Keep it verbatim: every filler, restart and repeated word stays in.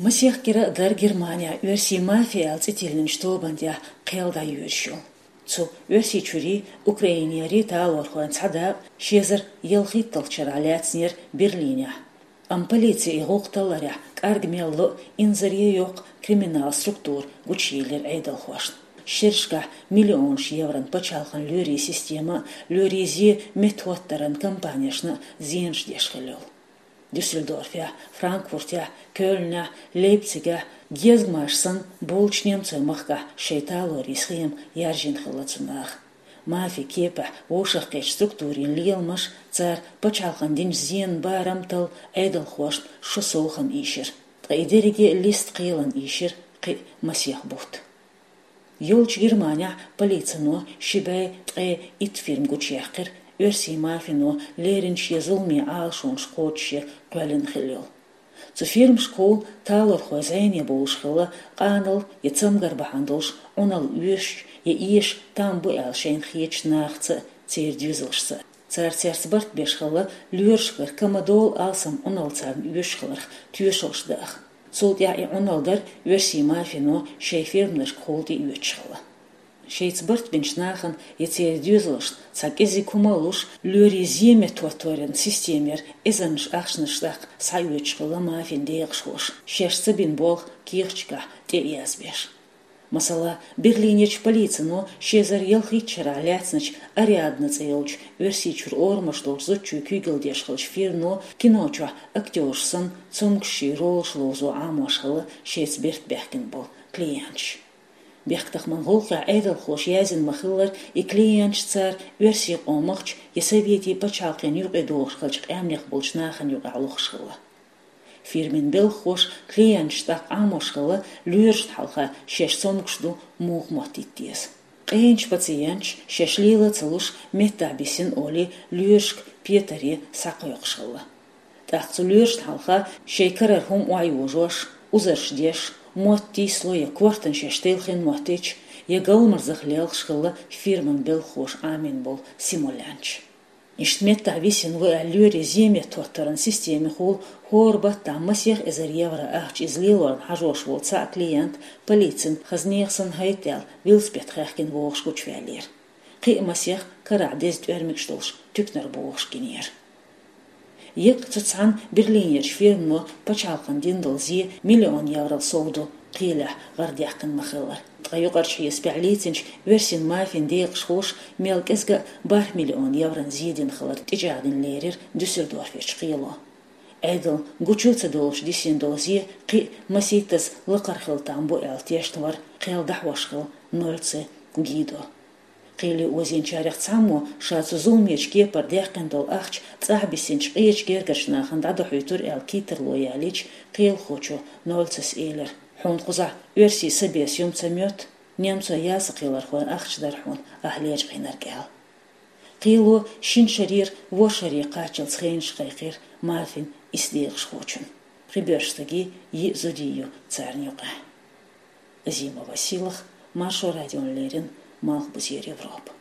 Масех кӀира а дара Германехь оьрсийн мафия аьлла цӀе тиллинчу тобанна тӀехь кхел дӀайоьдуш йолу. Цу Оьрсийчуьрий, Украинерий талорхойн цхьа дакъа ши эзар ялхитталгӀачу шарахь лаьцнера Берлинехь. Амма полицин и гӀуллакх талларехь кӀарга мел ло а, инзаре йоккха криминалан структура гучуелира Ӏедалхошна. Шерашкахь миллионаш евран пачхьалкхан лоьрийн система а, лоьрийн зен меттахӀоттаран компанешна а зенаш деш хилла йолу. Дюссельдорфехь, Франкфуртехь, Кёльнехь, Лейпцигехь, гезгамаш санна, болчу немцойн махкахь шайн талорийн схема яржийна хилла цу наха. Мафин кепехь вовшахкхетачу структурийн леламаш, цара пачхьалкхана динчу зенан барам талла Ӏедалхошна шо совгӀатна ийшира. Ткъа и дерриге а листа кхелан ийшира кхин а масех бутт. Йолчу Германехь полицино ши бӀе ткъе итт фирма гучуяьккхира, оьрсийн мафино леррина шен зуламе Ӏалашонаш кхочушъян кхоьллина хилла йолу. Цу фирмашкахула талорхой зӀене бовлуш хилла, къаналла я цамгар бахьана долуш Ӏуналла оьшучу я эшачу там бу аьлла шайна хетачу нахаца а, церан доьзалшца а. Цара цаьрца барт беш хилла, лоьрашкара камадолу алсам Ӏуналла царна оьшуш хиларх тоьшаллаш дан. Цул тӀаьхьа и Ӏуналла дара оьрсийн мафино шайн фирманашкахула тӀеоьцуш хилла. Шайца барт бинчу нахана я церан доьзалшна цхьа кӀезиг хӀума а луш, лоьрийн зен меттахӀотторан системера эзарнаш ахчанаш тӀаккха схьаоьцуш хилла мафин декъашхоша, шаьш ца бина болх кехаташкахь тӀе а язбеш. Масала, Берлинерчу полицино ши эзар ялхитталгӀачу шарахь лаьцначу «Ариадна» цӀе йолчу Оьрсийчуьра орамаш долчу зудчуьнга куьйгалла деш хиллачу фирмано кино чохь актёраш санна, цомгушчийн ролаш ловзо Ӏамош хилла шайца барт баьхкина болу клиенташ. Бехктакхаман гӀуллакхехь Ӏедалхоша яздина ма-хиллара, и клиенташ цара оьрсийн къомах я советийн пачхьалкхана юкъадохуш хиллачу къаьмнех болчу нахана юкъахь лохуш хилла. Фирмин белхахоша клиенташна тӀаккха Ӏамош хилла, лоьрашна хьалха шаьш цомгуш ду, муха моттийта деза. Къеначу пациенташа шаьш лела а ца луш, меттахь бисина олий, лоьрашка петаре схьакхойкхуш хилла. ТӀаккха цу лоьрашна хьалха шайн карара хӀума охьайожош, узарш деш, мотт тийсало я кортана шаьш телхина моттийча, я галмазах лелхаш хилла фирман белхахоша Ӏамийна болу симулянташ. Иштта меттахь висина ву аьлла лоьрийн зен меттахӀоттаран системехула хӀора баттахь масех эзар евро ахча иза лелорна хьажош волу цхьаъ клиент полицин хаза нехан санна хӀайтта аьлла велосипед хаьхкина вогӀуш гучуваьллера. Кхин а масех карахь деза тӀоьрмигаш долуш туьканара богӀуш гинера. Еккъа цу цхьана Берлинерчу фирмано пачхьалкхана дина долу зен миллион еврол сов ду, кхелехь гӀарадаьккхина ма-хиллара. Ткъа юкъарчу хьесапехь лийцинчу оьрсийн мафин декъашхоша мел кӀезга а бархӀ миллион еврон зен дина хилар тӀечӀагӀдина лерира Дюссельдорферчу кхело. Ӏедална гучу а ца долуш дисина долу зен кхин а масийттаза лакхара хила там бу аьлла тешна вара кхел дӀахьош хилла Нольцер Гидо. Кхеле озийначарех цхьаммо ша цу зуламечу кепара даьккхина долу ахча цӀахь бисинчу къечу гергарчу нахана дӀадохьуьйтура аьлла кийттарло ялийча, кхелахочо Нольцера элира: «Хьуна кхузахь оьрсийн са беса юм ца моьтту, немцойн ясакхийлархойн ахча дара хьуна ахь лечкъийнарг», – аьлла. Кхело шина шарера ворхӀ шаре кхаччалц хенаш кхайкхира мафин исс декъашхочун. Пхи боьрша стагий, йиъ зудий ю царна юкъахь. Азима Василах, Маршо радиона леррина, Малхбузера Европа.